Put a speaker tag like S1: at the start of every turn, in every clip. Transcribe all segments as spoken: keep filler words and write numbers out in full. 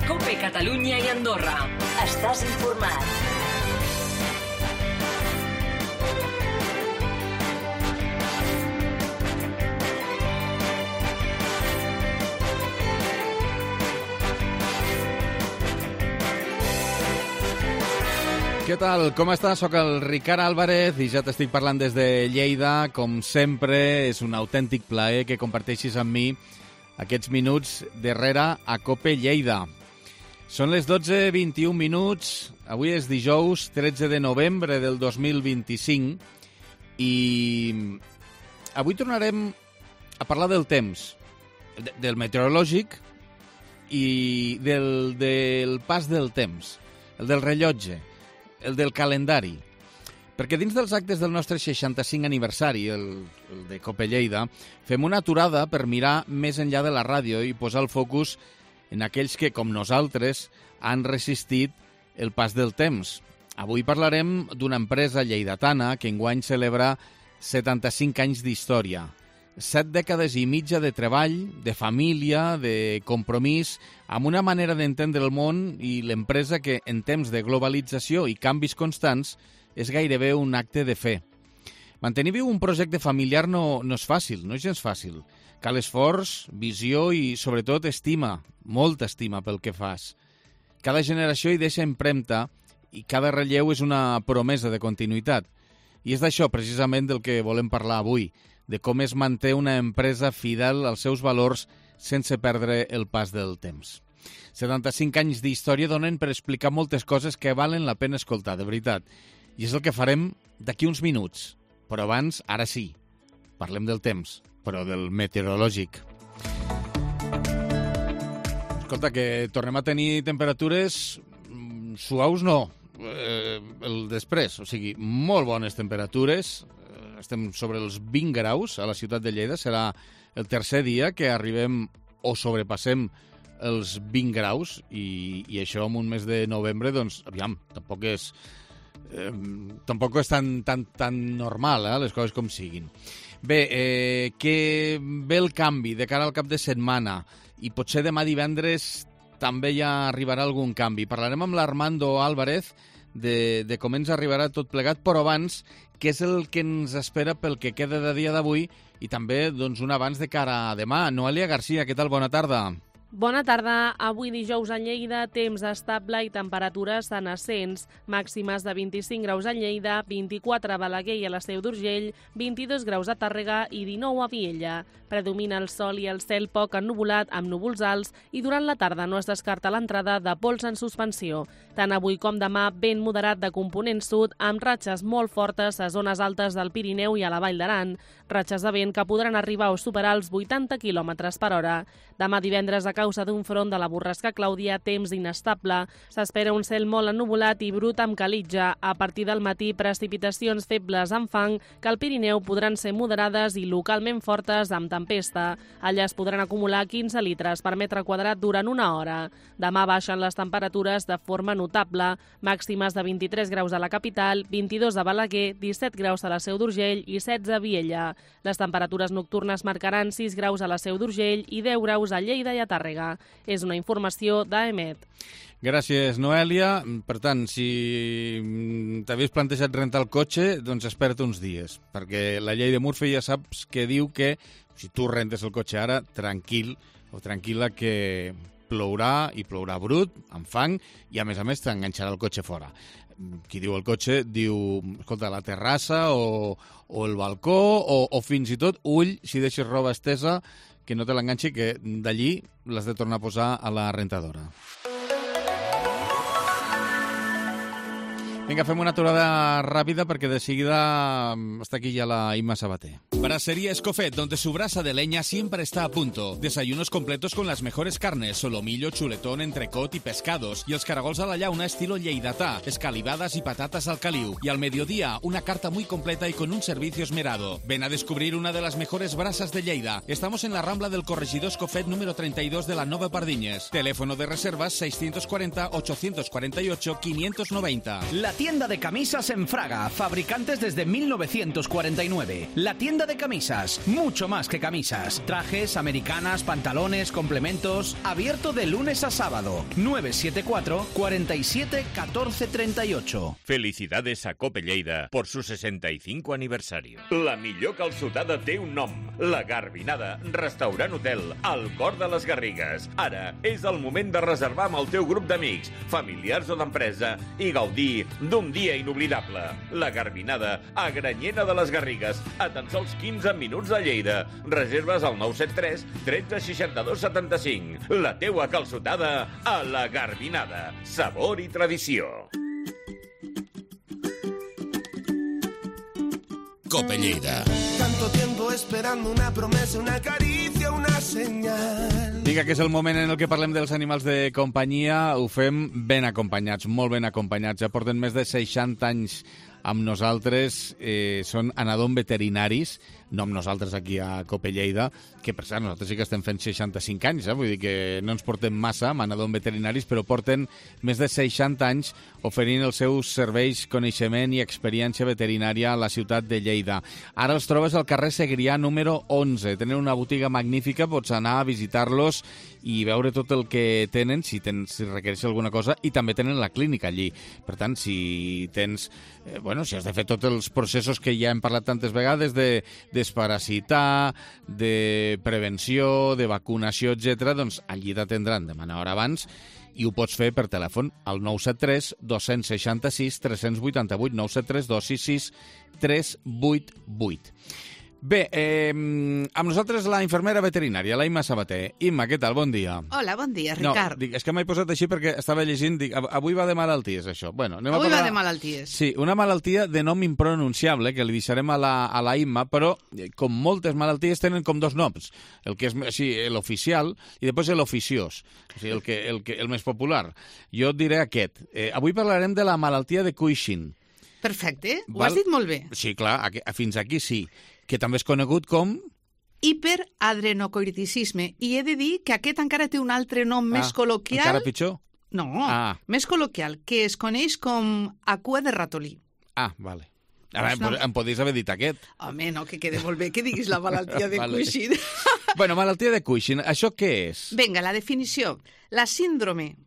S1: COPE Catalunya i Andorra. Estàs informat.
S2: Què tal? Com estàs? Soc el Ricard Álvarez i ja t'estic parlant des de Lleida. Com sempre, és un autèntic plaer que comparteixis amb mi aquests minuts darrere a COPE Lleida. Són les dotze vint-i-un minuts. Avui és dijous tretze de novembre del dos mil vint-i-cinc i avui tornarem a parlar del temps, del meteorològic i del, del pas del temps, el del rellotge, el del calendari. Perquè dins dels actes del nostre seixanta-cinc aniversari, el, el de COPE Lleida, fem una aturada per mirar més enllà de la ràdio i posar el focus en aquells que, com nosaltres, han resistit el pas del temps. Avui parlarem d'una empresa lleidatana que enguany celebra setanta-cinc anys d'història. Set dècades i mitja de treball, de família, de compromís, amb una manera d'entendre el món i l'empresa que, en temps de globalització i canvis constants, és gairebé un acte de fe. Mantenir viu un projecte familiar no, no és fàcil, no és gens fàcil. Cal esforç, visió i, sobretot, estima, molta estima pel que fas. Cada generació hi deixa empremta i cada relleu és una promesa de continuïtat. I és d'això, precisament, del que volem parlar avui, de com es manté una empresa fidel als seus valors sense perdre el pas del temps. setanta-cinc anys d'història donen per explicar moltes coses que valen la pena escoltar, de veritat. I és el que farem d'aquí uns minuts. Però abans, ara sí, parlem del temps, però del meteorològic. Escolta, que tornem a tenir temperatures suaus, no, eh, el després, o sigui, molt bones temperatures. Estem sobre els vint graus a la ciutat de Lleida. Serà el tercer dia que arribem o sobrepassem els vint graus i, i això en un mes de novembre, doncs, aviam, tampoc és, eh, tampoc és tan, tan, tan normal, eh, les coses com siguin. Bé, eh, que ve el canvi de cara al cap de setmana i potser demà divendres també ja arribarà algun canvi. Parlarem amb l'Armando Álvarez de, de com ens arribarà tot plegat, però abans, què és el que ens espera pel que queda de dia d'avui i també doncs, un abans de cara a demà. Noelia Garcia, què tal? Bona tarda.
S3: Bona tarda. Avui dijous a Lleida, temps estable i temperatures en ascens. Màximes de vint-i-cinc graus a Lleida, vint-i-quatre a Balaguer i a la Seu d'Urgell, vint-i-dos graus a Tàrrega i dinou a Vielha. Predomina el sol i el cel poc ennuvolat amb núvols alts i durant la tarda no es descarta l'entrada de pols en suspensió. Tant avui com demà, vent moderat de component sud amb ratxes molt fortes a zones altes del Pirineu i a la Vall d'Aran. Ratxes de vent que podran arribar o superar els vuitanta quilòmetres per hora. Demà divendres, a causa d'un front de la borrasca Clàudia, temps inestable. S'espera un cel molt ennuvolat i brut amb calitja. A partir del matí, precipitacions febles amb fang que al Pirineu podran ser moderades i localment fortes amb tempesta. Allà es podran acumular quinze litres per metre quadrat durant una hora. Demà baixen les temperatures de forma notable. Màximes de vint-i-tres graus a la capital, vint-i-dos a Balaguer, disset graus a la Seu d'Urgell i setze a Vielha. Les temperatures nocturnes marcaran sis graus a la Seu d'Urgell i deu graus a Lleida i a Tàrrega. És una informació d'A E M E T.
S2: Gràcies, Noelia. Per tant, si t'havies plantejat rentar el cotxe, doncs espera't uns dies, perquè la llei de Murphy ja saps que diu que si tu rentes el cotxe ara, tranquil o tranquil·la que plourà i plourà brut, amb fang, i a més a més t'enganxarà el cotxe fora. Qui diu el cotxe diu, escolta, la terrassa o, o el balcó o, o fins i tot, ull, si deixes roba estesa, que no te l'enganxi, que d'allí l'has de tornar a posar a la rentadora. Vinga, fem una aturada ràpida perquè de seguida està aquí ja la Imma Sabater.
S4: Brasería Escofet, donde su brasa de leña siempre está a punto. Desayunos completos con las mejores carnes, solomillo, chuletón, entrecot y pescados. Y els caragols a la llauna estilo lleidatà, escalivadas y patatas al caliu. Y al mediodía, una carta muy completa y con un servicio esmerado. Ven a descubrir una de las mejores brasas de Lleida. Estamos en la Rambla del Corregidor Escofet número treinta y dos de la Nova Pardiñes. Teléfono de reservas seiscientos cuarenta, ochocientos cuarenta y ocho, quinientos noventa. La
S5: tienda de camisas en Fraga, fabricantes desde mil novecientos cuarenta y nueve. La tienda de camisas, mucho más que camisas. Trajes, americanas, pantalones, complementos. Abierto de lunes a sábado. nueve siete cuatro, cuarenta y siete, catorce treinta y ocho.
S6: Felicidades a Cope Lleida por su sesenta y cinco aniversario. La millor calçotada té un nom. La Garbinada, restaurant hotel, al cor de les Garrigues. Ara és el moment de reservar amb el teu grup d'amics, familiars o d'empresa i gaudir d'un dia inoblidable. La Garbinada, a Granyena de les Garrigues, a tan sols quinze minuts de Lleida. Reserves al nou set tres, tretze, seixanta-dos, setanta-cinc. La teua calçotada a la Garbinada. Sabor i tradició.
S4: Cope Lleida.
S7: Tanto tiempo esperando una promesa, una caricia, una señal.
S2: Vinga, que és el moment en el que parlem dels animals de companyia. Ho fem ben acompanyats, molt ben acompanyats. Ja porten més de seixanta anys amb nosaltres. Eh, són anadom veterinaris, no amb nosaltres aquí a Cope Lleida, que per cert, nosaltres sí que estem fent seixanta-cinc anys, eh? Vull dir que no ens portem massa amb anadom veterinaris, però porten més de seixanta anys oferint els seus serveis, coneixement i experiència veterinària a la ciutat de Lleida. Ara els trobes al carrer Segrià número onze. Tenen una botiga magnífica, pots anar a visitar-los i veure tot el que tenen, si, tens, si requereix alguna cosa, i també tenen la clínica allí. Per tant, si tens, eh, bueno, si has de fer tots els processos que ja hem parlat tantes vegades de desparasitar, de prevenció, de vacunació, etcètera, doncs allí t'atendran de una hora abans i ho pots fer per telèfon al nou set tres, dos sis sis, tres vuit vuit, nou set tres, dos sis sis, tres vuit vuit. Bé, eh, amb nosaltres la infermera veterinària, la Imma Sabater. Imma, què tal? Bon dia.
S8: Hola, bon dia, Ricard.
S2: No, dic, és que m'he posat així perquè estava llegint, dic, avui va de malalties, això. Bueno, anem
S8: avui
S2: a parlar...
S8: va de malalties.
S2: Sí, una malaltia de nom impronunciable, que li deixarem a la, a la Imma, però com moltes malalties tenen com dos noms. El que és així, l'oficial, i després l'oficiós, o sigui, el, que, el, que, el més popular. Jo et diré aquest. Eh, avui parlarem de la malaltia de Cushing.
S8: Perfecte, ho
S2: Val?
S8: has dit molt bé.
S2: Sí, clar, aquí, fins aquí sí. Que també és conegut com...
S8: Hiperadrenocorticisme. I he de dir que aquest encara té un altre nom ah, més col·loquial.
S2: Encara pitjor?
S8: No,
S2: ah.
S8: més col·loquial, que es coneix com acua de ratolí.
S2: Ah, vale. Ara, no. em podries haver dit aquest.
S8: Home, no, que quede molt bé que diguis la malaltia de vale. Cushing.
S2: Bueno, malaltia de Cushing, això què és?
S8: Vinga, la definició. La síndrome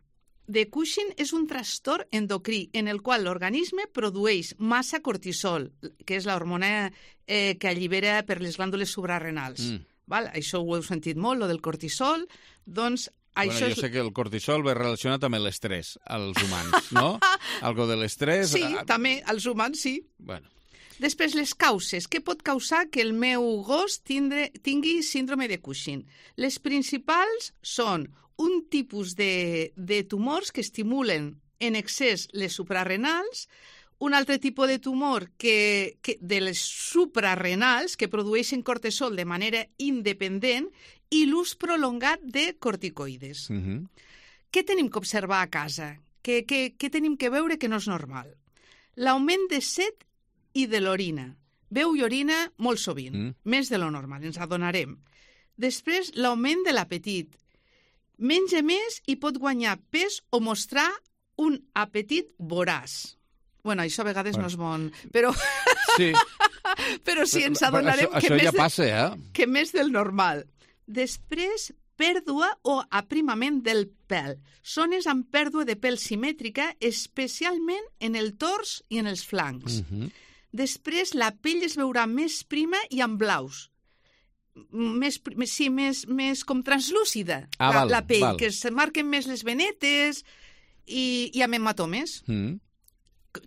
S8: de Cushing és un trastorn endocrí en el qual l'organisme produeix massa cortisol, que és l'hormona eh, que allibera per les glàndules suprarrenals. Mm. Val? Això ho heu sentit molt, lo del cortisol. Doncs
S2: bueno,
S8: això
S2: jo
S8: és...
S2: sé que el cortisol ve relacionat amb l'estrès als humans, no? Algo de l'estrès...
S8: Sí, també, als humans sí.
S2: Bueno.
S8: Després, les causes. Què pot causar que el meu gos tindre, tingui síndrome de Cushing? Les principals són un tipus de, de tumors que estimulen en excés les suprarrenals, un altre tipus de tumor que, que de les suprarrenals que produeixen cortisol de manera independent i l'ús prolongat de corticoides.
S2: Uh-huh.
S8: Què tenim que observar a casa? Què, què, què tenim que veure que no és normal? L'augment de set i de l'orina. Beu i orina molt sovint, mm. més de lo normal, ens adonarem. Després, l'augment de l'apetit. Menja més i pot guanyar pes o mostrar un apetit voraç. Bueno, això a vegades bueno. no és bon, però...
S2: Sí.
S8: però sí, ens adonarem
S2: això,
S8: que,
S2: això
S8: més
S2: ja
S8: de,
S2: passa, eh?
S8: que més del normal. Després, pèrdua o aprimament del pèl. Zones amb pèrdua de pèl simètrica, especialment en el tors i en els flancs.
S2: Uh-huh.
S8: Després, la pell es veurà més prima i amb blaus. Més, sí, més, més com translúcida,
S2: ah,
S8: la,
S2: val,
S8: la pell,
S2: val.
S8: que es marquen més les venetes i, i amb hematomes,
S2: mm.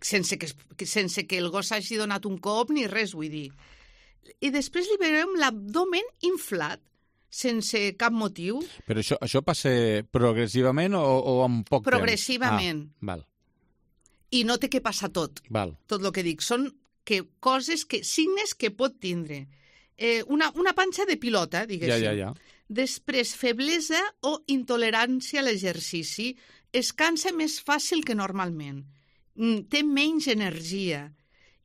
S8: sense, que, sense que el gos hagi donat un cop ni res, vull dir. I després li veurem l'abdomen inflat, sense cap motiu.
S2: Però això, això passa progressivament o, o amb poc
S8: progressivament.
S2: temps? Ah, val.
S8: I no té que passar tot,
S2: val.
S8: tot el que dic. Són que, coses, que signes que pot tindre. Eh, una, una panxa de pilota, diguéssim.
S2: Ja, ja, ja.
S8: Després, feblesa o intolerància a l'exercici. Es cansa més fàcil que normalment. Té menys energia.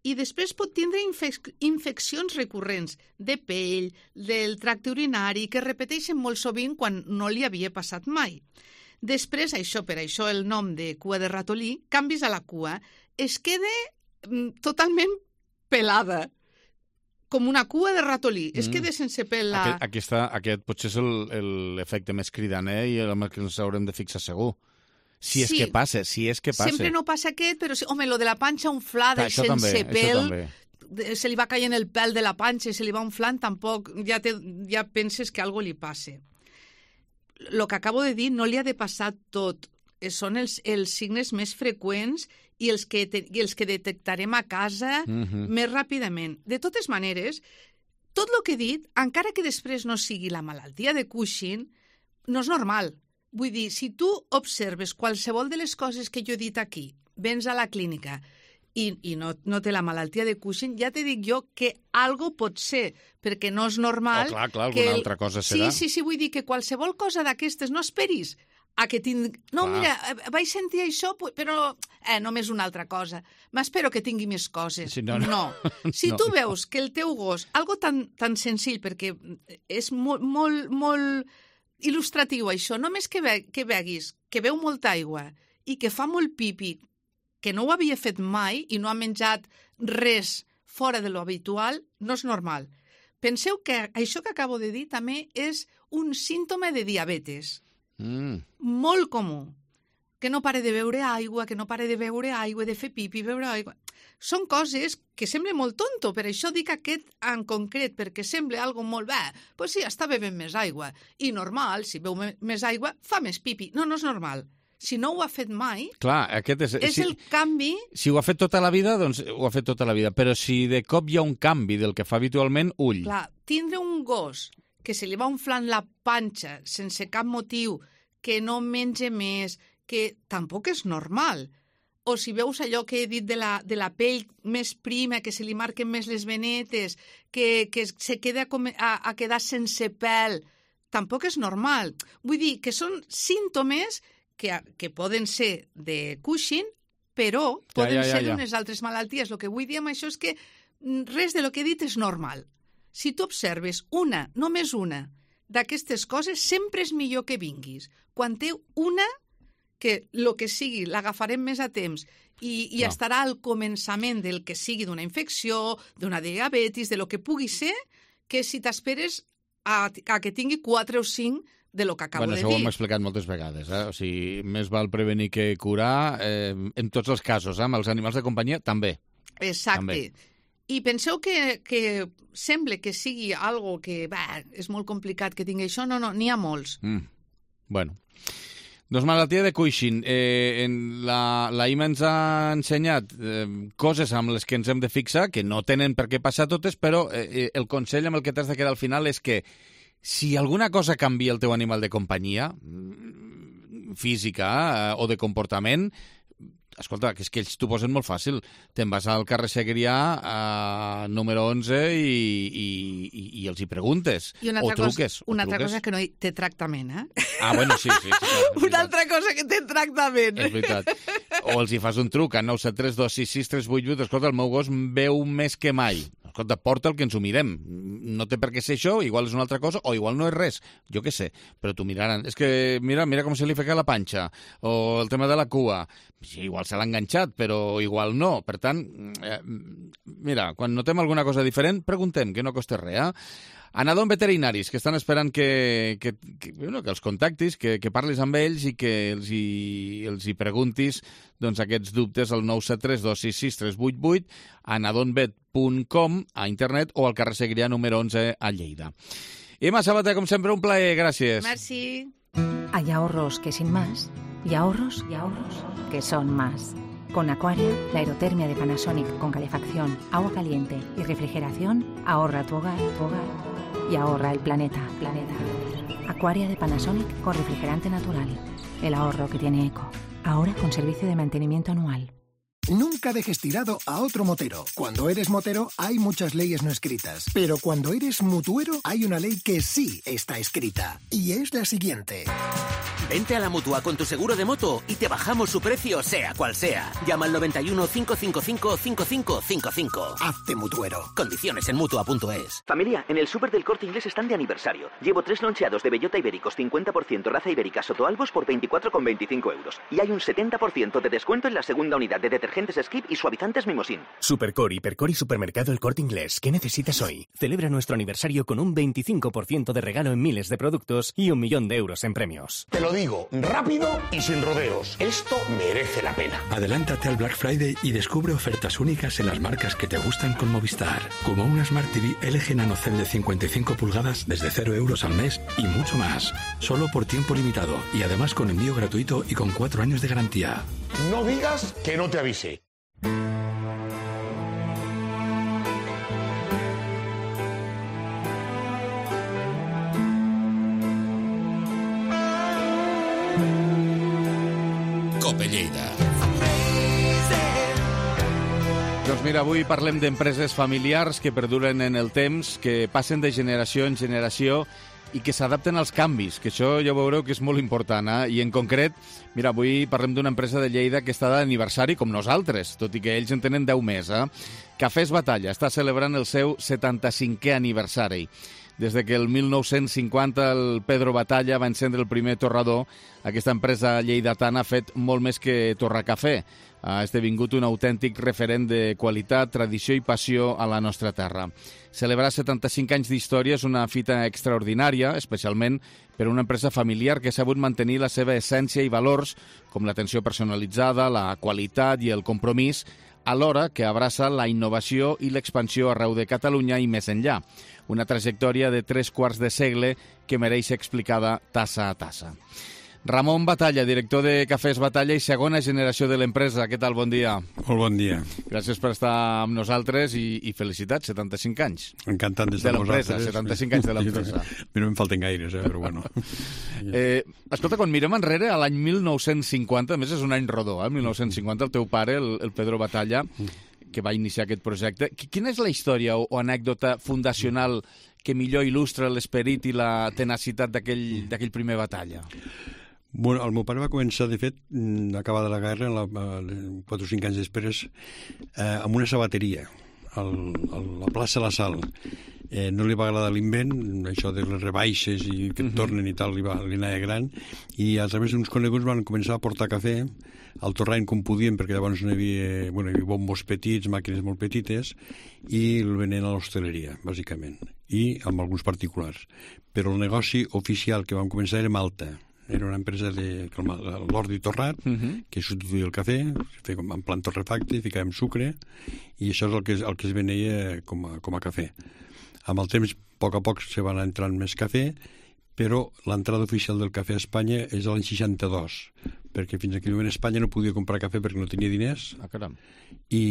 S8: I després pot tindre infec infeccions recurrents de pell, del tracte urinari, que repeteixen molt sovint quan no li havia passat mai. Després, això, per això el nom de cua de ratolí, canvis a la cua, es queda mm, totalment pelada, com una cua de ratolí. Mm. Es queda sense pèl. La...
S2: Aquest, aquesta, aquest potser és l'efecte més cridaner i el que ens haurem de fixar segur. Si és
S8: sí.
S2: que passa, si és que passa.
S8: Sempre no passa aquest, però, sí, home, lo de la panxa inflada i sense
S2: també,
S8: pèl, se li va caient el pèl de la panxa i se li va inflant, tampoc ja, te, ja penses que algo li passe. El que acabo de dir no li ha de passar tot. Són els, els signes més freqüents i els que, te, i els que detectarem a casa mm-hmm. més ràpidament. De totes maneres, tot el que he dit, encara que després no sigui la malaltia de Cushing, no és normal. Vull dir, si tu observes qualsevol de les coses que jo he dit aquí, vens a la clínica i, i no, no té la malaltia de Cushing, ja te dic jo que algo pot ser, perquè no és normal...
S2: Oh, clar, clar,
S8: que
S2: alguna
S8: el...
S2: altra cosa serà.
S8: Sí, sí, sí, vull dir que qualsevol cosa d'aquestes no esperis a que tingui... No, clar. Mira, vaig sentir això, però eh, només una altra cosa. M'espero que tingui més coses.
S2: Sí, no, no.
S8: no. Si
S2: no.
S8: tu veus que el teu gos, algo tan, tan senzill, perquè és molt, molt, molt il·lustratiu això, només que, ve, que veguis que beu molta aigua i que fa molt pipi, que no ho havia fet mai i no ha menjat res fora de lo habitual, no és normal. Penseu que això que acabo de dir també és un símptoma de diabetes.
S2: Mm.
S8: Molt comú. Que no pare de beure aigua, que no pare de beure aigua, de fer pipi, beure aigua. Són coses que sembla molt tonto, per això dic aquest en concret, perquè sembla algo molt bé. Doncs sí, està bevent més aigua. I normal, si beu més aigua, fa més pipi. No, no és normal. Si no ho ha fet mai,
S2: clar, aquest és,
S8: és
S2: si,
S8: el canvi...
S2: Si ho ha fet tota la vida, doncs ho ha fet tota la vida. Però si de cop hi ha un canvi del que fa habitualment, ull.
S8: Clar, tindre un gos que se li va inflant la panxa sense cap motiu, que no menja més, que tampoc és normal. O si veus allò que he dit de la, de la pell més prima, que se li marquen més les venetes, que, que se queda a, a, a quedar sense pèl, tampoc és normal. Vull dir que són símptomes que, que poden ser de Cushing, però poden
S2: ja, ja, ja,
S8: ser
S2: ja.
S8: d'unes altres malalties. El que vull dir amb això és que res de lo que he dit és normal. Si tu observes una, només una, d'aquestes coses, sempre és millor que vinguis. Quan té una, que el que sigui l'agafarem més a temps i, i
S2: no.
S8: estarà al començament del que sigui d'una infecció, d'una diabetis, de lo que pugui ser, que si t'esperes a, a que tingui quatre o cinc de lo que acabo
S2: bueno,
S8: de
S2: dir. Bueno, això ho
S8: dir.
S2: hem explicat moltes vegades. Eh? O sigui, més val prevenir que curar, eh, en tots els casos, eh? Amb els animals de companyia també.
S8: Exacte.
S2: També.
S8: I penseu que, que sembla que sigui algo que bah, és molt complicat que tingui això. No, no, n'hi ha molts.
S2: Mm. Bueno. Doncs malaltia de Cushing. Eh, en la, la Ima ens ha ensenyat eh, coses amb les que ens hem de fixar, que no tenen per què passar totes, però eh, el consell amb el que t'has de quedar al final és que si alguna cosa canvia el teu animal de companyia, física eh, o de comportament, escolta, que és que ells t'ho posen molt fàcil. Te'n vas al carrer Segrià, a número onze, i, i, i, i els hi preguntes.
S8: I una
S2: o
S8: altra
S2: truques.
S8: Cosa, una
S2: o
S8: altra
S2: truques.
S8: cosa que no hi té tractament, eh?
S2: Ah, bueno, sí, sí. sí clar,
S8: una altra cosa que té tractament.
S2: És veritat. O els hi fas un truc a nou set tres dos sis sis tres vuit vuit. Escolta, el meu gos veu més que mai. Escolta, porta'l que ens ho mirem. No té per què ser això, igual és una altra cosa, o igual no és res. Jo què sé, però t'ho miraran. És que mira, mira com se li fica la panxa, o el tema de la cua. Sí, igual se l'ha enganxat, però igual no. Per tant, eh, mira, quan notem alguna cosa diferent, preguntem, que no costa res, eh? Anadon Veterinaris, que estan esperant que, que, que, bueno, que els contactis, que, que parlis amb ells i que els hi, els hi preguntis doncs, aquests dubtes al nou set tres dos sis sis tres vuit vuit, anadonvet punt com a internet o al carrer Segrià número onze a Lleida. Ima Sabater, com sempre, un plaer, gràcies.
S8: Merci.
S9: Hay ahorros que sin más, y ahorros, y ahorros que son más. Con Aquaria, la aerotermia de Panasonic con calefacción, agua caliente y refrigeración ahorra tu hogar, tu hogar y ahorra el planeta, planeta. Aquaria de Panasonic con refrigerante natural. El ahorro que tiene eco. Ahora con servicio de mantenimiento anual.
S10: Nunca dejes tirado a otro motero. Cuando eres motero hay muchas leyes no escritas, pero cuando eres mutuero hay una ley que sí está escrita y es la siguiente.
S11: Vente a la Mutua con tu seguro de moto y te bajamos su precio sea cual sea. Llama al noventa y uno, cinco cinco cinco, cinco cinco cinco cinco.
S10: Hazte mutuero.
S11: Condiciones en mutua punto es.
S12: Familia, en el súper del Corte Inglés están de aniversario. Llevo tres loncheados de bellota ibéricos cincuenta por ciento raza ibérica Sotoalbos por veinticuatro con veinticinco euros. Y hay un setenta por ciento de descuento en la segunda unidad de detergentes Skip y suavizantes Mimosin.
S13: Supercore, Hipercore y Supermercado El Corte Inglés. ¿Qué necesitas hoy? Celebra nuestro aniversario con un veinticinco por ciento de regalo en miles de productos y un millón de euros en premios.
S14: Te lo digo, rápido y sin rodeos. Esto merece la pena.
S15: Adelántate al Black Friday y descubre ofertas únicas en las marcas que te gustan con Movistar. Como una Smart T V L G Nano C E L de cincuenta y cinco pulgadas desde cero euros al mes y mucho más. Solo por tiempo limitado y además con envío gratuito y con cuatro años de garantía.
S14: No digas que no te avise.
S4: Cope Lleida.
S2: Doncs mira, avui parlem d'empreses familiars que perduren en el temps, que passen de generació en generació i que s'adapten als canvis, que això ja veureu que és molt important, eh? I en concret, mira, avui parlem d'una empresa de Lleida que està d'aniversari com nosaltres, tot i que ells en tenen deu més, eh? Cafès Batalla està celebrant el seu setanta-cinquè aniversari. Des de que el mil nou-cents cinquanta el Pedro Batalla va encendre el primer torrador, aquesta empresa lleidatana ha fet molt més que torrar cafè. Ha esdevingut un autèntic referent de qualitat, tradició i passió a la nostra terra. Celebrar setanta-cinc anys d'història és una fita extraordinària, especialment per una empresa familiar que ha sabut mantenir la seva essència i valors, com l'atenció personalitzada, la qualitat i el compromís, alhora que abraça la innovació i l'expansió arreu de Catalunya i més enllà. Una trajectòria de tres quarts de segle que mereix explicada tassa a tassa. Ramon Batalla, director de Cafès Batalla i segona generació de l'empresa. Què tal? Bon dia.
S16: Molt bon dia.
S2: Gràcies per estar amb nosaltres i, i felicitats, setanta-cinc anys.
S16: Encantat d'estar
S2: amb
S16: vosaltres.
S2: De l'empresa, setanta-cinc anys de l'empresa.
S16: No em falten gaires, eh, però bueno.
S2: eh, escolta, quan mirem enrere, a l'any mil nou-cents cinquanta, a més és un any rodó, eh, mil nou-cents cinquanta, el teu pare, el, el Pedro Batalla, que va iniciar aquest projecte. Quina és la història o, o anècdota fundacional que millor il·lustra l'esperit i la tenacitat d'aquell primer Batalla?
S16: Bueno, el meu pare va començar, de fet, acabada la guerra, la, quatre o cinc anys després, eh, amb una sabateria, al, a la plaça La Sal. Eh, no li va agradar l'invent, això de les rebaixes i que et tornen i tal, li, va, li anava gran, i a través d'uns coneguts van començar a portar cafè al torrent com podien, perquè llavors no hi havia, bueno, hi havia bombos petits, màquines molt petites, i el venien a l'hostaleria, bàsicament, i amb alguns particulars. Però el negoci oficial que vam començar era Malta. Era una empresa de l'ordi torrat, uh-huh. que substituïa el cafè, feia en plan torrefacte, ficàvem sucre, i això és el que, el que es veneia com a, com a cafè. Amb el temps, a poc a poc, se van entrant més cafè, però l'entrada oficial del cafè a Espanya és l'any seixanta-dos, perquè fins aquell moment Espanya no podia comprar cafè perquè no tenia diners,
S2: ah, caram.
S16: I,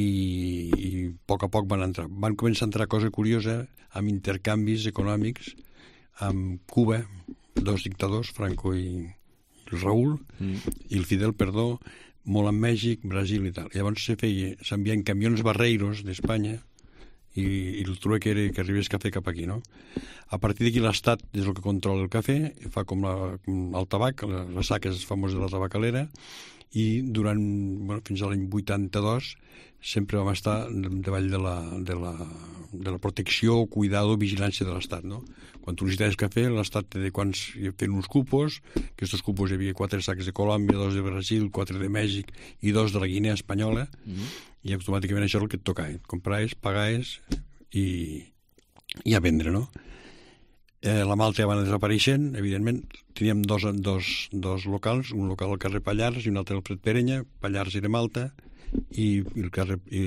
S16: i a poc a poc van entrar. Van començar a entrar cosa curiosa, amb intercanvis econòmics, amb Cuba, dos dictadors, Franco i el Raúl, mm. i el Fidel, perdó, molt amb Mèxic, Brasil i tal. Llavors se feia, s'envien camions barreiros d'Espanya i, i el truc era que arribés cafè cap aquí, no? A partir d'aquí l'Estat és el que controla el cafè, fa com, la, com el tabac, les saques famoses de la tabacalera, i durant, bueno, fins a l'any vuitanta-dos sempre vam estar davall de la, de la, de la protecció, cuidado, vigilància de l'Estat, no? Quan tu necessites cafè, l'Estat té de quants fent uns cupos, que aquests cupos hi havia quatre sacs de Colòmbia, dos de Brasil, quatre de Mèxic i dos de la Guinea espanyola, mm-hmm. i automàticament això és el que et tocava, compraves, pagaves i, i a vendre, no? Eh, la Malta ja va anar desapareixent, evidentment. Teníem dos, dos, dos locals, un local al carrer Pallars i un altre al Fred Perenya. Pallars era Malta i, i, el, carrer, i,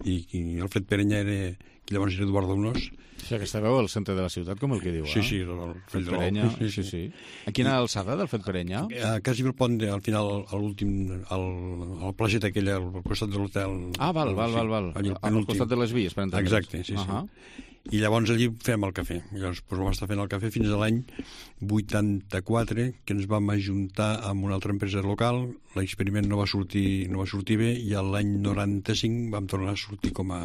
S16: i, i el Fred Perenya era, que llavors era Eduardo Unós.
S2: O sigui, que estàveu al centre de la ciutat, com el que diu, eh?
S16: Sí, sí, el, el
S2: Fred Perenya. Sí, sí, sí. A quina alçada del Fred Perenya?
S16: A quasi el pont, de, al final, a l'últim, al, al placeta aquella, al costat de l'hotel.
S2: Ah, val, val, val, val. Al, al costat de les vies, per entendre's.
S16: Exacte, sí, sí. Uh-huh. I llavors allí fem el cafè. Llavors doncs, vam estar fent el cafè fins a l'any vuitanta-quatre, que ens vam ajuntar amb una altra empresa local. L'experiment no va sortir, no va sortir bé, i l'any noranta-cinc vam tornar a sortir com a,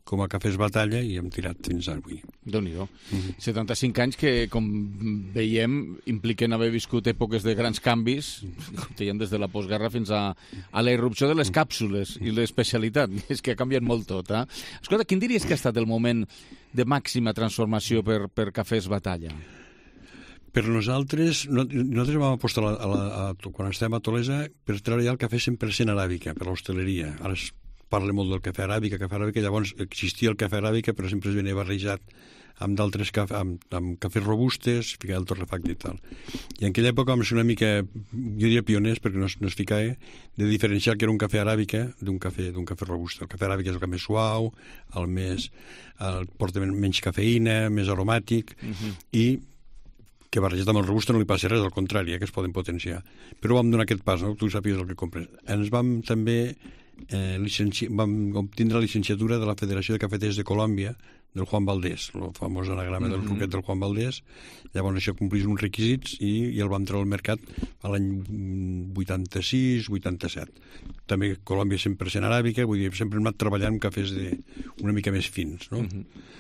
S16: com a Cafès Batalla i hem tirat fins avui.
S2: Déu-n'hi-do. Mm-hmm. setanta-cinc anys que, com veiem, impliquen haver viscut èpoques de grans canvis, com dèiem, des de la postguerra fins a, a la irrupció de les càpsules i l'especialitat. És que ha canviat molt tot. Eh? Escolta, quin diries que ha estat el moment de màxima transformació per, per Cafès Batalla?
S16: Per nosaltres, no, nosaltres vam apostar a la, a la, a, quan estem a Tolesa per treure ja el cafè cent per cent aràbica, per l'hostaleria. Ara es parla molt del cafè aràbica, cafè aràbica, llavors existia el cafè aràbica, però sempre es venia barrejat amb d'altres cafè, amb, amb cafès robustes, ficava el torrefacte i tal. I en aquella època vam ser una mica, jo diria pioners, perquè no es, no es ficava, de diferenciar que era un cafè aràbica d'un cafè, d'un cafè robusta. El cafè aràbica és el que més suau, el més, el porta menys cafeïna, més aromàtic, uh-huh. i que barrejat amb el robusta no li passa res, al contrari, eh, que es poden potenciar. Però vam donar aquest pas, no? Tu sàpies el que compres. Ens vam també eh, licenci... vam obtindre la licenciatura de la Federació de Cafeters de Colòmbia, del Juan Valdés, el famós anagrama del ruquet del Juan Valdés. Llavors això complís uns requisits i, i el vam treure al mercat a l'any vuitanta-sis vuitanta-set. També Colòmbia cent per cent aràbica, vull dir, sempre hem anat treballant amb cafès de, una mica més fins, no? Uh-huh.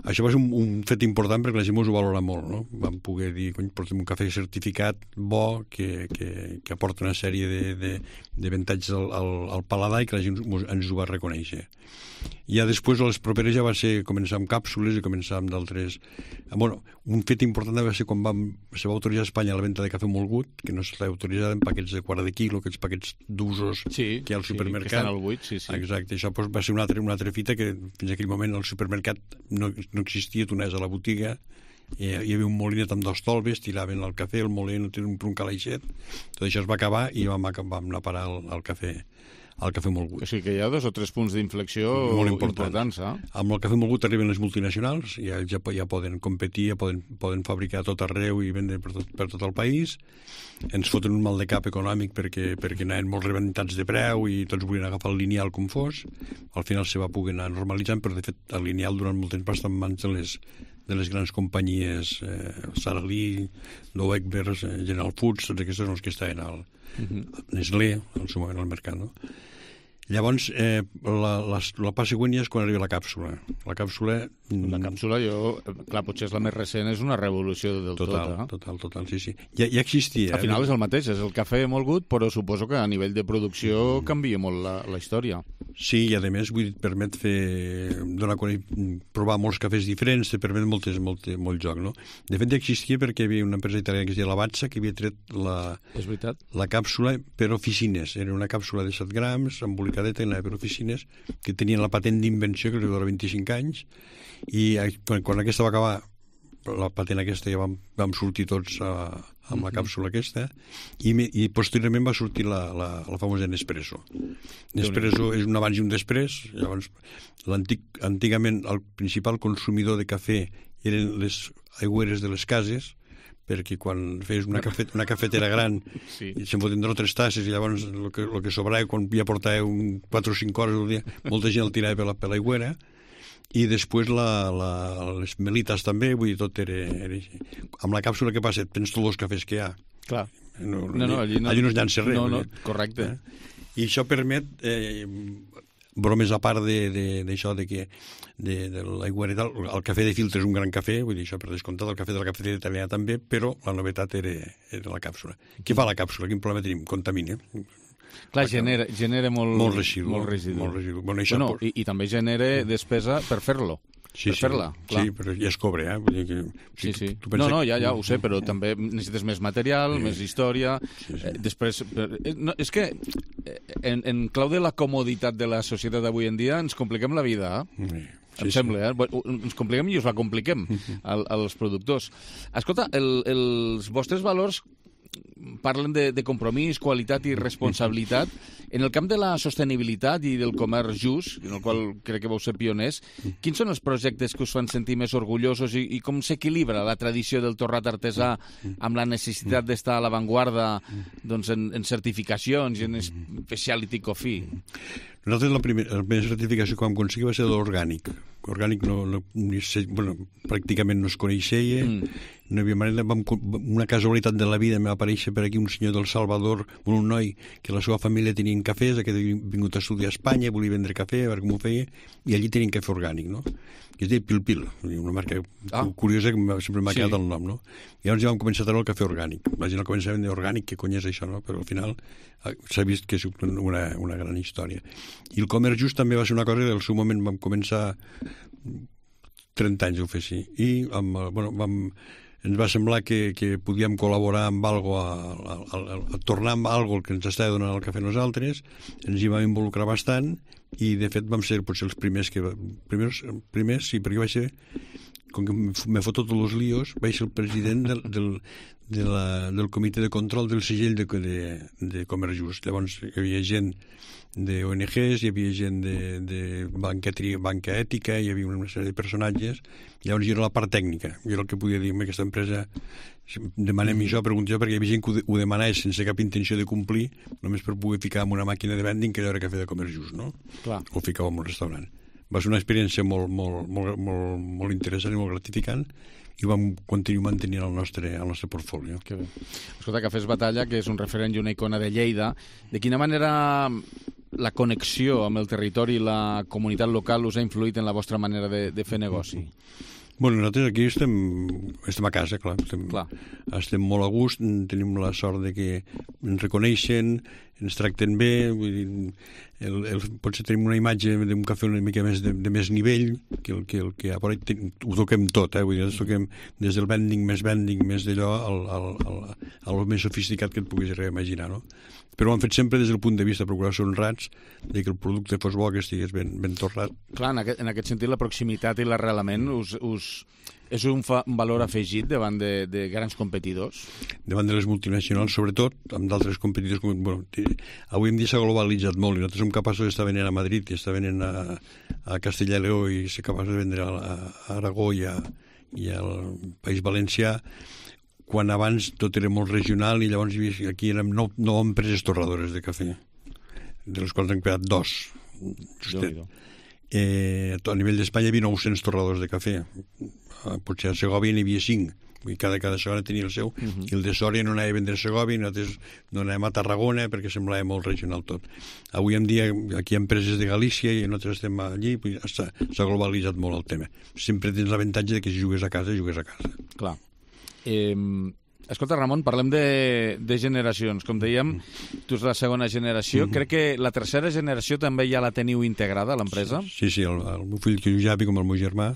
S16: Això va ser un, un fet important perquè la gent ens ho valora molt, no? Vam poder dir, cony, portem un cafè certificat bo que, que, que aporta una sèrie de, de, d'avantatges al, al, al paladar i que la gent ens ho va reconèixer. I ja després, a les properes, ja va ser començar amb càpsules i començar amb d'altres... Bueno, un fet important va ser quan vam, se va autoritzar a Espanya la venda de cafè molgut, que no s'estava autoritzada en paquets de quart de quilo, aquests paquets d'usos
S2: sí,
S16: que hi ha al supermercat.
S2: Sí, que estan al buit, sí, sí.
S16: Exacte, això doncs, va ser una altra, una altra fita que fins a aquell moment al supermercat no, no existia, tu anaves a la botiga, hi havia un molinet amb dos tolbes, tiraven el cafè, el molí no tenia un, un calaixet, tot això es va acabar i vam, vam anar a parar el, el cafè el cafè molgut.
S2: O sigui que hi ha dos o tres punts d'inflexió molt importants. Eh?
S16: Amb el cafè molgut arriben les multinacionals, ja, ja, ja poden competir, ja poden, poden fabricar a tot arreu i vendre per tot, per tot el país. Ens foten un mal de cap econòmic perquè, perquè anaven molt rebentats de preu i tots volien agafar el lineal com fos. Al final se va poder anar normalitzant, però de fet el lineal durant molt temps va estar en mans de les, de les grans companyies, eh, Sara Lee, Dow Egbers, eh, General Foods, tots aquests són els que estaven al uh-huh. Nestlé, al seu moment al mercat, no? Llavors, eh, la, la, la pas següent ja és quan arriba la càpsula. La càpsula...
S2: La càpsula, jo... Clar, potser és la més recent, és una revolució del
S16: total,
S2: tot. Eh?
S16: Total, total, sí, sí. Ja, ja existia.
S2: Al final és el mateix, és el cafè molt gut, però suposo que a nivell de producció mm. canvia molt la, la història.
S16: Sí, i a més, vull dir, permet fer... Donar, provar molts cafès diferents, te permet moltes, molt, molt joc, no? De fet, ja existia perquè hi havia una empresa italiana que es deia Lavazza, que havia tret la...
S2: És veritat.
S16: La càpsula per oficines. Era una càpsula de set grams, embolicadeta, i anava per oficines, que tenien la patent d'invenció, que li dura vint-i-cinc anys, i quan, quan aquesta va acabar, la patent aquesta ja vam, vam sortir tots a, amb la càpsula aquesta, i, i posteriorment va sortir la, la, la famosa Nespresso. Nespresso és un abans i un després. Llavors, l'antic, antigament el principal consumidor de cafè eren les aigüeres de les cases, perquè quan feies una, cafet, una cafetera gran sí. se'n foten dos o tres tasses i llavors el que, el que sobrava quan ja portàveu quatre o cinc hores al dia, molta gent el tirava per la, per l'aigüera. I després la, la, les melites també, vull dir, tot era, era així. Amb la càpsula què passa? Tens tots els cafès que hi ha.
S2: Clar.
S16: No, no, no, allí, no, allí no es llança res.
S2: No, no, correcte.
S16: Eh? I això permet, eh, bromes a part d'això de, de, de que de, de l'aigüera i tal, el cafè de filtre és un gran cafè, vull dir, això per descomptat, el cafè de la cafetera italiana també, però la novetat era, era la càpsula. Què fa la càpsula? Quin problema tenim? Contamina.
S2: Clar, genera, genera molt,
S16: molt residu.
S2: Molt residu.
S16: Molt residu. Bueno, això
S2: bueno,
S16: por...
S2: i, I també genera despesa per fer-lo.
S16: Sí,
S2: per
S16: sí,
S2: fer-la. Clar.
S16: Sí, però ja es cobra, eh? Vull dir que,
S2: sí, sí.
S16: Tu, tu
S2: no, no, ja, ja ho sé, però també necessites més material, sí. més història.
S16: Sí, sí.
S2: Eh, després, eh, no, és que en, en clau de la comoditat de la societat d'avui en dia ens compliquem la vida, eh? Sí. Em sí, sembla, eh? Ens compliquem i us la compliquem al, als productors. Escolta, el, els vostres valors parlen de, de compromís, qualitat i responsabilitat. En el camp de la sostenibilitat i del comerç just, en el qual crec que vau ser pioners, quins són els projectes que us fan sentir més orgullosos i, i com s'equilibra la tradició del torrat artesà amb la necessitat d'estar a l'avantguarda doncs, en, en certificacions i en specialty coffee?
S16: Nosaltres la, primera, la primera certificació que vam aconseguir va ser l'orgànic. orgànic no, no, ni se, bueno, pràcticament no es coneixia, mm. no hi havia manera. Vam, una casualitat de la vida em va aparèixer per aquí un senyor del Salvador, un noi que la seva família tenien cafès, que havia vingut a estudiar a Espanya, volia vendre cafè, a veure com ho feia, i allí tenien cafè orgànic, no? Que es deia Pil Pil, una marca ah. curiosa que sempre m'ha quedat sí. el nom, no? I llavors ja vam començar a treure el cafè orgànic. La gent el començava a vendre orgànic, què cony és això, no? Però al final s'ha vist que és una, una gran història. I el comerç just també va ser una cosa que al seu moment vam començar trenta anys ho fer així. I amb, bueno, vam, ens va semblar que, que podíem col·laborar amb algo, a, a, a, a tornar amb algo que ens estava donant el cafè a nosaltres, ens hi vam involucrar bastant i de fet vam ser potser els primers que... Primers, primers sí, perquè vaig ser... Com que me foto tots els líos, vaig ser el president del, del, de la, del comitè de control del segell de, de, de Comerç Just. Llavors hi havia gent d'O N Ges, hi havia gent de, de banca, banca ètica, hi havia una sèrie de personatges. Llavors jo era la part tècnica. Jo era el que podia dir, aquesta empresa, demanem això, pregunto jo, perquè hi havia gent que ho demanava sense cap intenció de complir, només per poder ficar en una màquina de vending que allò era cafè de Comerç Just, no? Clar. O ficava en un restaurant. Va ser una experiència molt, molt, molt, molt, molt interessant i molt gratificant i ho vam continuar mantenint al nostre, al nostre portfolio.
S2: Que bé. Escolta, Cafès Batalla, que és un referent i una icona de Lleida, de quina manera la connexió amb el territori i la comunitat local us ha influït en la vostra manera de, de fer negoci?
S16: Bueno, nosaltres aquí estem, estem a casa, clar. Estem, clar. Estem molt a gust, tenim la sort de que ens reconeixen, ens tracten bé, vull dir, el, el, potser tenim una imatge d'un cafè una mica més de, de més nivell, que el que, el que a Porall ho toquem tot, eh? Vull dir, toquem des del vending, més vending, més d'allò, al, al, al, al més sofisticat que et puguis imaginar, no? Però ho han fet sempre des del punt de vista de procurar ser honrats, de que el producte fos bo, que estigués ben, ben torrat.
S2: Clar, en aquest, en aquest sentit la proximitat i l'arrelament us, us, és un, fa, un valor afegit davant de, de grans competidors?
S16: Davant de les multinacionals, sobretot, amb d'altres competidors. Com, bueno, avui en dia s'ha globalitzat molt i nosaltres som capaços d'estar venent a Madrid i estar venent a, a Castella i Lleó i ser capaços de vendre a, a Aragó i, a, i al País Valencià, quan abans tot era molt regional i llavors aquí érem nou, nou empreses torradores de cafè, de les quals han quedat dos. Justet. Eh, a nivell d'Espanya hi havia nou-cents torradors de cafè. Potser a Segòvia n'hi havia cinc. Cada, cada segona tenia el seu. Uh-huh. I el de Sòria no anava a vendre a Segòvia, nosaltres no anàvem a Tarragona perquè semblava molt regional tot. Avui en dia aquí hi ha empreses de Galícia i nosaltres estem allí, s'ha, s'ha globalitzat molt el tema. Sempre tens l'avantatge de que si jugues a casa, jugues a casa.
S2: Clar. Eh, escolta, Ramon, parlem de, de generacions. Com dèiem, tu ets la segona generació. Mm-hmm. Crec que la tercera generació també ja la teniu integrada a l'empresa?
S16: Sí, sí, el, el meu fill, que és Javi, com el meu germà,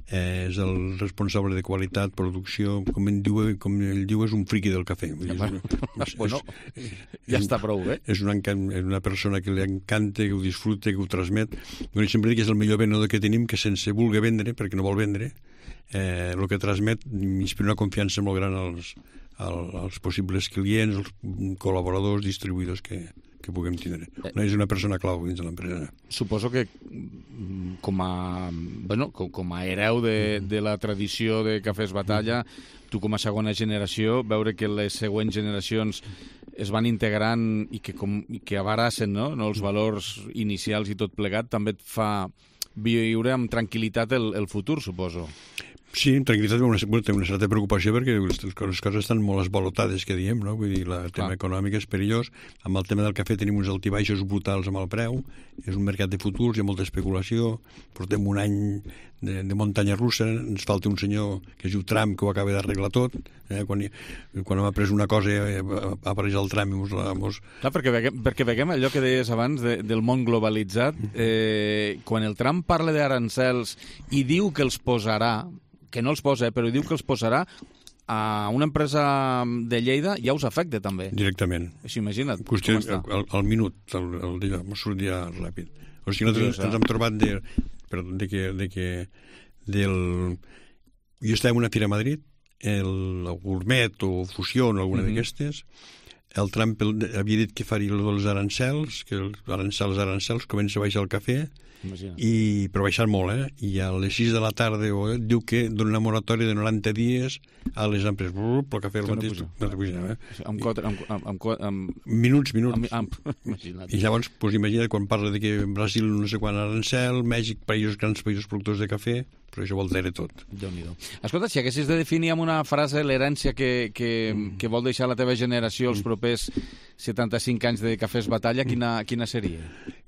S16: eh, és el responsable de qualitat, producció, com ell diu, com ell diu és un friqui del cafè.
S2: Ja, bueno, és, bueno, és, ja és, està prou bé.
S16: És una, és una persona que li encanta, que ho disfruta, que ho transmet. Jo sempre dic que és el millor venedor que tenim, que sense voler vendre, perquè no vol vendre, eh, el que transmet inspira una confiança molt gran als, als, als possibles clients, als col·laboradors, distribuïdors que, que puguem tindre. No és una persona clau dins de l'empresa.
S2: Suposo que com a, bueno, com, com a hereu de, de la tradició de Cafès Batalla, tu com a segona generació, veure que les següents generacions es van integrant i que, com, i que abarassen, no? No, els valors inicials i tot plegat, també et fa viure amb tranquil·litat el, el futur, suposo.
S16: Sí, amb tranquil·litat, una, té una certa preocupació perquè les, les coses estan molt esvalotades, que diem, no? Vull dir, el tema ah. econòmic és perillós. Amb el tema del cafè tenim uns altibaixos brutals amb el preu, és un mercat de futurs, hi ha molta especulació, portem un any de, de muntanya russa, ens falta un senyor que es diu Trump que ho acaba d'arreglar tot, eh? quan, quan hem après una cosa eh, apareix el Trump i mos la... Mos...
S2: Clar, perquè veiem, perquè veiem allò que deies abans de, del món globalitzat, eh, quan el Trump parla d'arancels i diu que els posarà, que no els posa, eh, però diu que els posarà a una empresa de Lleida, ja us afecta també.
S16: Directament.
S2: Així, imagina't
S16: Qüestió, com està. Al, al minut, el, el dia, m'ho sortia ràpid. O sigui, nosaltres ens hem trobat de, perdó, de que, de que del... Jo estava en una fira a Madrid, el, el Gourmet o Fusió o alguna mm-hmm. d'aquestes, el Trump havia dit que faria els arancels, que els arancels, arancels, comença a baixar el cafè, i, però baixant molt, eh? I a les sis de la tarda o, eh, diu que dona una moratòria de noranta dies a les empreses. Brrr, el cafè el mateix no puja, eh?
S2: Amb, quatre, amb, amb, amb...
S16: Minuts, minuts.
S2: Amb, amb...
S16: I llavors, pues, imagina't, quan parla de que Brasil no sé quan arancel, Mèxic, països, grans països productors de cafè, però això ho altera tot.
S2: Déu-n'hi-do. Escolta, si haguessis de definir amb una frase l'herència que, que, mm. que vol deixar la teva generació els propers setanta-cinc anys de Cafès Batalla, quina, quina seria?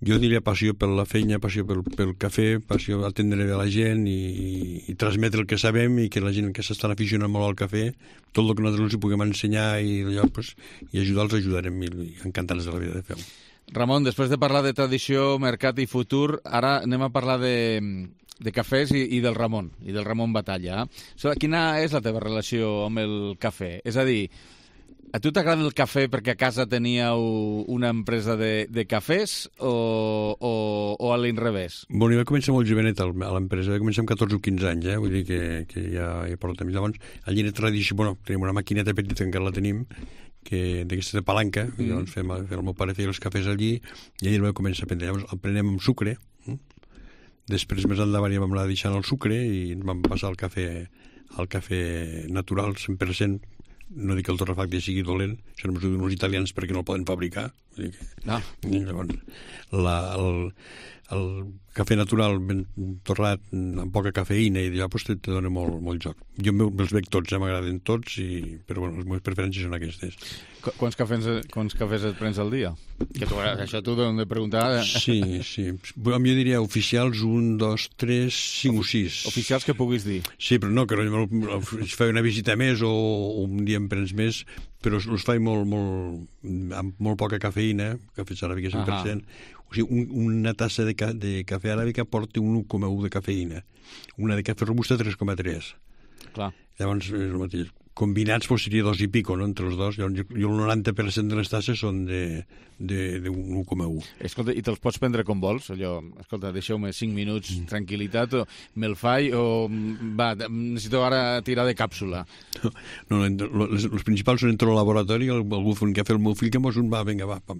S16: Jo diria passió per la feina, passió pel, pel cafè, passió a atendre bé la gent i, i, i transmetre el que sabem i que la gent que s'estan aficionant molt al cafè, tot el que nosaltres els puguem ensenyar i, allò, pues, i ajudar els ajudarem i, i encantats de la vida de fer-ho.
S2: Ramon, després de parlar de tradició, mercat i futur, ara anem a parlar de, de cafès i, i del Ramon, i del Ramon Batalla. So, quina és la teva relació amb el cafè? És a dir, a tu t'agrada el cafè perquè a casa teníeu una empresa de, de cafès o, o, o a l'inrevés?
S16: Bueno, jo vaig començar molt jovenet a l'empresa, vaig començar amb catorze o quinze anys, eh? Vull dir que, que ja, ja porto temps. Llavors, allí era tradició, bueno, tenim una maquineta petita, encara la tenim, que d'aquesta de palanca, mm. i llavors fem, el meu pare feia els cafès allí, i allí el vaig començar a prendre. Llavors el prenem amb sucre, eh? Després més endavant ja vam anar deixant el sucre i ens vam passar al cafè, al cafè natural, cent per cent. No dic que el torrefacte sigui dolent, això només ho diuen els italians perquè no el poden fabricar. Vull dir que...
S2: no.
S16: I llavors, la, el, el cafè natural ben torrat, amb poca cafeïna, i allò pues, te, te dona molt, molt joc. Jo me'ls veig tots, ja m'agraden tots, i, però bueno, les meves preferències són aquestes.
S2: Qu quants, cafès, quants cafès et prens al dia? Que tu, això t'ho hem de preguntar.
S16: Sí, sí. Jo diria oficials un, dos, tres, cinc o sis.
S2: Oficials que puguis dir.
S16: Sí, però no, que no, faig una visita més o, o un dia em prens més, però els faig molt, molt, amb molt poca cafeïna, cafès aràbica cent per cent. O sigui, un, una tassa de, ca, de cafè aràbica porta un u coma u de cafeïna. Una de cafè robusta tres coma tres.
S2: Clar.
S16: Llavors és el mateix. Combinats pues, seria dos i pico, no?, entre els dos. Llavors, jo, jo el noranta per cent de les tasses són de, de, de un u coma u.
S2: Escolta, i te'ls pots prendre com vols? Allò, escolta, deixeu-me cinc minuts, mm. tranquil·litat, o me'l faig, o va, necessito ara tirar de càpsula.
S16: No, no les, els principals són entre el laboratori, algú fa un cafè al meu fill que mos un va, vinga, va, pam.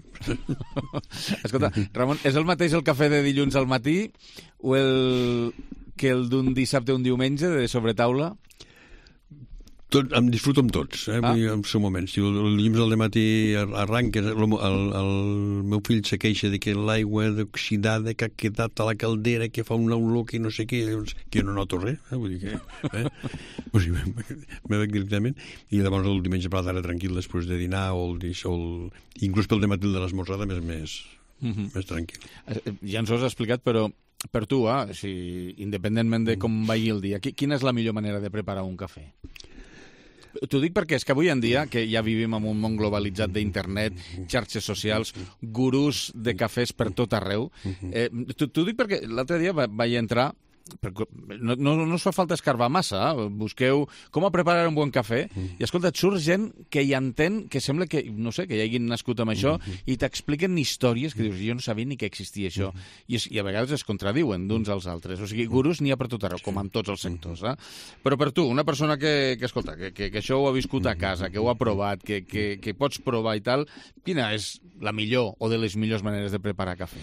S2: Escolta, Ramon, és el mateix el cafè de dilluns al matí o el que el d'un dissabte o un diumenge de sobretaula?
S16: Tot, em disfruto amb tots, eh? Ah. En seu moment. Si el, el dilluns al matí arranca, el, el, el meu fill se queixa de que l'aigua oxidada que ha quedat a la caldera, que fa una olor que no sé què, llavors, que jo no noto res, eh? Vull dir que... Eh? O sigui, me veig directament, i llavors el diumenge per la tarda tranquil després de dinar, o el, o el, inclús pel dematí de l'esmorzada, més, més, mm-hmm. més tranquil.
S2: Ja ens ho has explicat, però per tu, eh? Si, independentment de com vagi el dia, quina és la millor manera de preparar un cafè? T'ho dic perquè és que avui en dia, que ja vivim en un món globalitzat d'internet, xarxes socials, gurús de cafès per tot arreu, eh, t'ho dic perquè l'altre dia vaig entrar, no, no, no us fa falta escarbar massa, eh? Busqueu com a preparar un bon cafè, i escolta, et surt gent que hi entén, que sembla que, no sé, que hi hagin nascut amb això, i t'expliquen històries que dius, jo no sabia ni que existia això, i, es, i a vegades es contradiuen d'uns als altres, o sigui, gurús n'hi ha per tot arreu, com en tots els sectors, eh? Però per tu, una persona que, que escolta, que, que, que això ho ha viscut a casa, que ho ha provat, que, que, que pots provar i tal, quina és la millor o de les millors maneres de preparar cafè?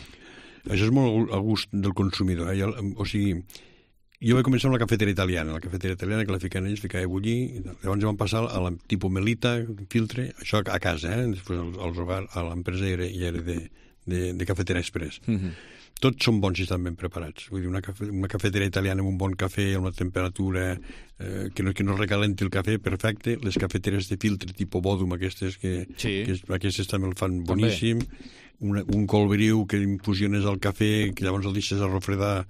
S16: Això és molt a gust del consumidor. Eh? Jo, o sigui, jo vaig començar amb la cafetera italiana, la cafetera italiana que la ficaven ells, ficava a bullir, llavors vam passar a la tipus melita, filtre, això a casa, eh? Després als hogar, a l'empresa ja era, ja era de, de, de cafetera express. Mm-hmm. Tots són bons i estan ben preparats. Vull dir, una, cafe, una cafetera italiana amb un bon cafè, amb una temperatura eh, que, no, que no recalenti el cafè, perfecte. Les cafeteres de filtre tipus Bodum, aquestes, que, sí. que aquestes també el fan boníssim. Una, un colbriu que infusiones al cafè, que llavors el deixes a refredar,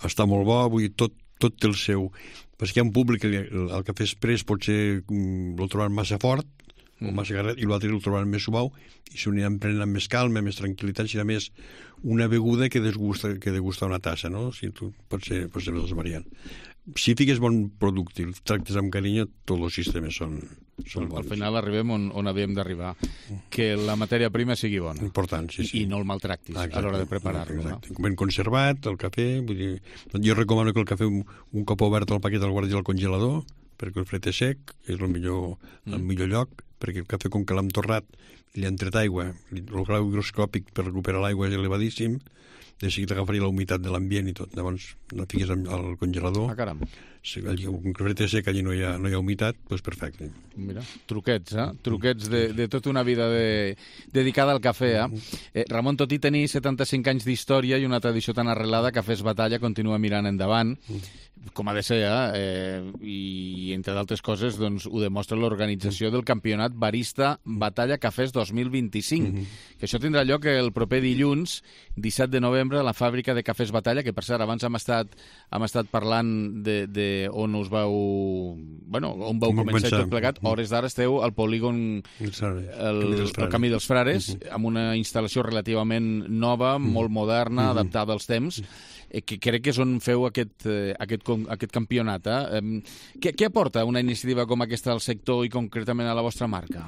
S16: està molt bo. Vull dir, tot, tot té el seu. Perquè hi ha un públic que el, el cafè express potser el troben massa fort, o massa garret, i l'altre el troben més suau, i s'ho aniran prenent amb més calma, més tranquil·litat, serà més una beguda que desgusta, que degusta una tassa, no? O sigui, tu, pot ser, pot ser les dues variants. Si fiques bon producte i el tractes amb carinyo, tots els sistemes són, són bons.
S2: Al final arribem on, on havíem d'arribar, que la matèria prima sigui bona.
S16: Important, sí, sí.
S2: I no el maltractis exacte, a l'hora de preparar-lo.
S16: Exacte. No? Ben conservat, el cafè, vull dir, jo recomano que el cafè un, un cop obert el paquet el guardi al congelador, perquè el fred és sec, és el millor, el millor lloc, perquè el cafè, com que l'hem torrat, li han tret aigua, el grau higroscòpic per recuperar l'aigua és elevadíssim, de seguida agafaria la humitat de l'ambient i tot. Llavors, la fiques al congelador.
S2: Ah, caram.
S16: Si un cafè sec allí no hi ha, no hi ha humitat, doncs perfecte.
S2: Mira, truquets, eh? Truquets de, de tota una vida de, dedicada al cafè, eh? eh? Ramon, tot i tenir setanta-cinc anys d'història i una tradició tan arrelada, Cafès Batalla continua mirant endavant, com ha de ser, eh? eh I, entre d'altres coses, doncs, ho demostra l'organització del Campionat Barista Batalla Cafès dos mil vint-i-cinc, mm -hmm. que això tindrà lloc el proper dilluns, disset de novembre, a la fàbrica de Cafès Batalla, que per cert, abans hem estat, hem estat parlant de, de on us vau... Bueno, on vau com començar tot plegat. Hores d'ara esteu al polígon el, el Camí dels Frares, uh -huh. amb una instal·lació relativament nova, uh -huh. molt moderna, uh -huh. adaptada als temps, uh -huh. eh, que crec que és on feu aquest, eh, aquest, aquest campionat. Eh? Eh, què, què aporta una iniciativa com aquesta al sector i concretament a la vostra marca?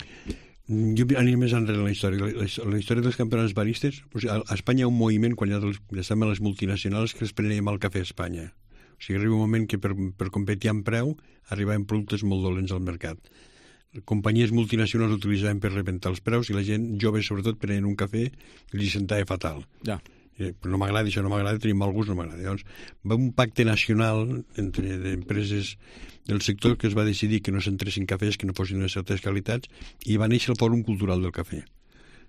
S16: Jo aniré més enrere en la història. La, la, la història dels campionats baristes, o sigui, a, a Espanya hi ha un moviment, quan hi ha dels, les multinacionals, que es prenen mal cafè a Espanya. O sigui, arriba un moment que per, per competir amb preu arribaven productes molt dolents al mercat. Companyies multinacionals utilitzaven per rebentar els preus i la gent jove, sobretot, prenien un cafè i li sentava fatal.
S2: Ja.
S16: Eh, no m'agrada, això no m'agrada, tenim mal gust, no m'agrada. Llavors, va un pacte nacional entre empreses del sector que es va decidir que no s'entressin cafès que no fossin de certes qualitats i va néixer el Fòrum Cultural del Cafè.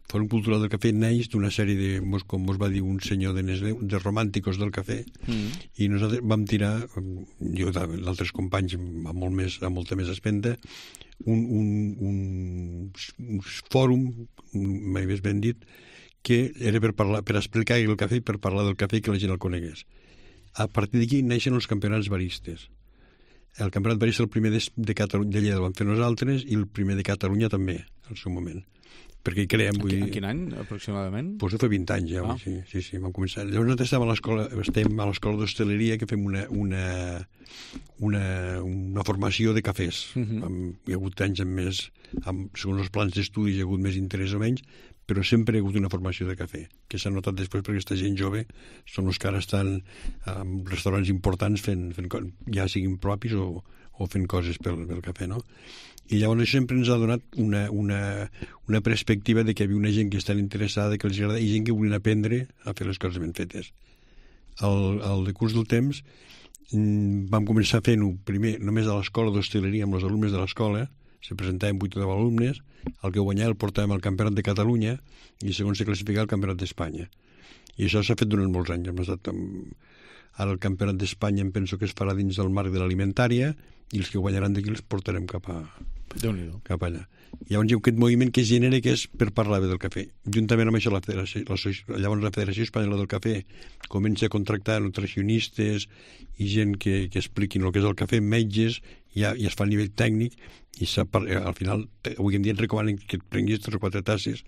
S16: El Fòrum Cultural del Cafè neix d'una sèrie de, com us va dir un senyor de Nestlé, de romànticos del cafè, mm. i nosaltres vam tirar, jo i altres companys amb, molt més, amb molta més espenta, un, un, un, un fòrum, mai més ben dit, que era per, parlar, per explicar el cafè i per parlar del cafè i que la gent el conegués. A partir d'aquí neixen els campionats baristes. El campionat barista, el primer de, de, Catalunya, de Lleida, el vam fer nosaltres, i el primer de Catalunya també, al seu moment. Perquè hi creem... Vull dir...
S2: En quin any, aproximadament?
S16: Doncs fa vint anys ja, ah. sí, sí, sí, vam començar. Llavors nosaltres estem a l'escola, estem a l'escola d'hostaleria, que fem una, una, una, una formació de cafès. Uh -huh. Amb, hi ha hagut anys amb més, amb, segons els plans d'estudis hi ha hagut més interès o menys, però sempre hi ha hagut una formació de cafè, que s'ha notat després perquè aquesta gent jove són els que ara estan en restaurants importants fent, fent ja siguin propis o, o fent coses pel, pel cafè, no? I llavors això sempre ens ha donat una, una, una perspectiva de que hi havia una gent que estan interessada, que els agrada, i gent que volien aprendre a fer les coses ben fetes. Al, al decurs del temps vam començar fent-ho primer només a l'escola d'hostaleria amb els alumnes de l'escola. Se presentaven vuit o deu alumnes, el que guanyava el portàvem al Campionat de Catalunya i segons se classificava al Campionat d'Espanya. I això s'ha fet durant molts anys. Hem estat amb... Ara el Campionat d'Espanya em penso que es farà dins del marc de l'alimentària i els que guanyaran d'aquí els portarem cap a... cap allà. Llavors hi ha aquest moviment que es genera, que és per parlar bé del cafè. Juntament amb això, la Federació, la, llavors la Federació Espanyola del Cafè comença a contractar nutricionistes i gent que, que expliquin el que és el cafè, metges, i, ja, i es fa a nivell tècnic, i al final, avui en dia et recomanen que et prenguis tres o quatre tasses,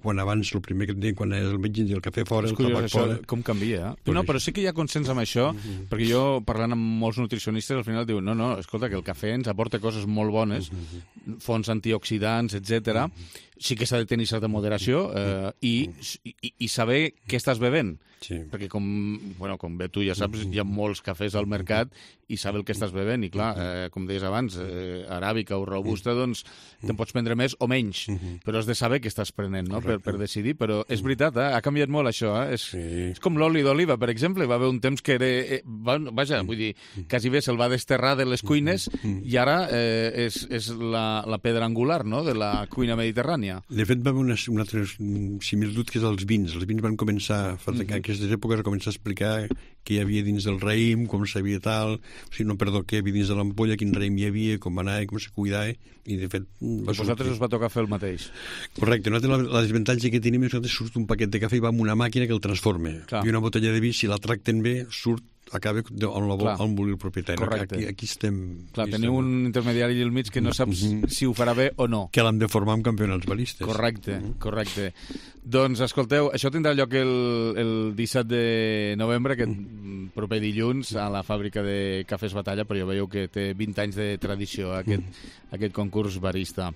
S16: quan abans el primer que et deien quan anaves al metge el cafè fora, el tabac fora...
S2: Com canvia, eh? Però no, però sí que hi ha consens amb això, uh -huh. perquè jo, parlant amb molts nutricionistes, al final diuen, no, no, escolta, que el cafè ens aporta coses molt bones, uh -huh. fonts antioxidants, etcètera. Uh -huh. Sí que s'ha de tenir certa moderació eh, i, i, i saber què estàs bevent. Sí. Perquè com, bueno, com bé tu ja saps, hi ha molts cafès al mercat i saber el que estàs bevent. I clar, eh, com deies abans, eh, aràbica o robusta, doncs te'n pots prendre més o menys, però has de saber què estàs prenent, no?, per, per decidir. Però és veritat, eh? Ha canviat molt això. Eh? És, sí. és com l'oli d'oliva, per exemple. Va haver un temps que era... Eh, vaja, vull dir, quasi bé se'l va desterrar de les cuines i ara eh, és, és la, la pedra angular, no?, de la cuina mediterrània.
S16: De fet, va haver una, una altra similitud que és els vins. Els vins van començar, fa mm-hmm. aquestes èpoques, a començar a explicar què hi havia dins del raïm, com s'havia tal, o sigui, no, perdó, què hi havia dins de l'ampolla, quin raïm hi havia, com anava, com se cuidava, i de fet...
S2: Va vosaltres us va tocar fer el mateix.
S16: Correcte. Nosaltres la, la desavantatge que tenim és que nosaltres surt un paquet de cafè i va amb una màquina que el transforma. Clar. I una botella de vi, si la tracten bé, surt acaba on la vol, on vol el propietari.
S2: Correcte.
S16: Aquí, aquí estem...
S2: Clar,
S16: aquí
S2: teniu
S16: estem.
S2: un intermediari al mig que no saps mm -hmm. si ho farà bé o no.
S16: Que l'hem de formar amb campionats baristes.
S2: Correcte, mm -hmm. correcte. Doncs, escolteu, això tindrà lloc el, el disset de novembre, aquest mm. proper dilluns, a la fàbrica de Cafès Batalla, però ja veieu que té vint anys de tradició, aquest, mm. aquest concurs barista.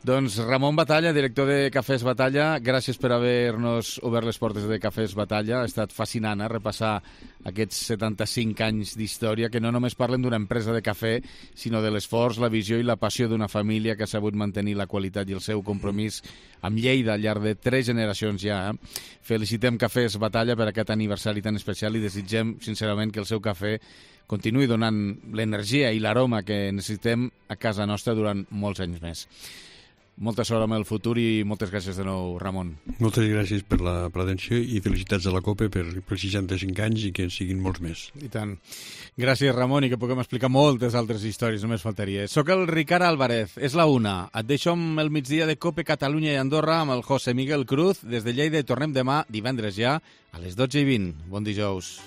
S2: Doncs Ramon Batalla, director de Cafès Batalla, gràcies per haver-nos obert les portes de Cafès Batalla. Ha estat fascinant, eh, repassar aquests setanta-cinc anys d'història, que no només parlen d'una empresa de cafè, sinó de l'esforç, la visió i la passió d'una família que ha sabut mantenir la qualitat i el seu compromís amb Lleida al llarg de tres generacions ja. Eh? Felicitem Cafès Batalla per aquest aniversari tan especial i desitgem, sincerament, que el seu cafè continuï donant l'energia i l'aroma que necessitem a casa nostra durant molts anys més. Molta sort amb el futur i moltes gràcies de nou, Ramon.
S16: Moltes gràcies per la presència i felicitats a la COPE per, per seixanta-cinc anys i que en siguin molts més.
S2: I tant. Gràcies, Ramon, i que puguem explicar moltes altres històries, només faltaria. Soc el Ricard Álvarez, és la una. Et deixo amb el migdia de COPE Catalunya i Andorra amb el José Miguel Cruz. Des de Lleida i tornem demà, divendres ja, a les dotze i vint. Bon dijous.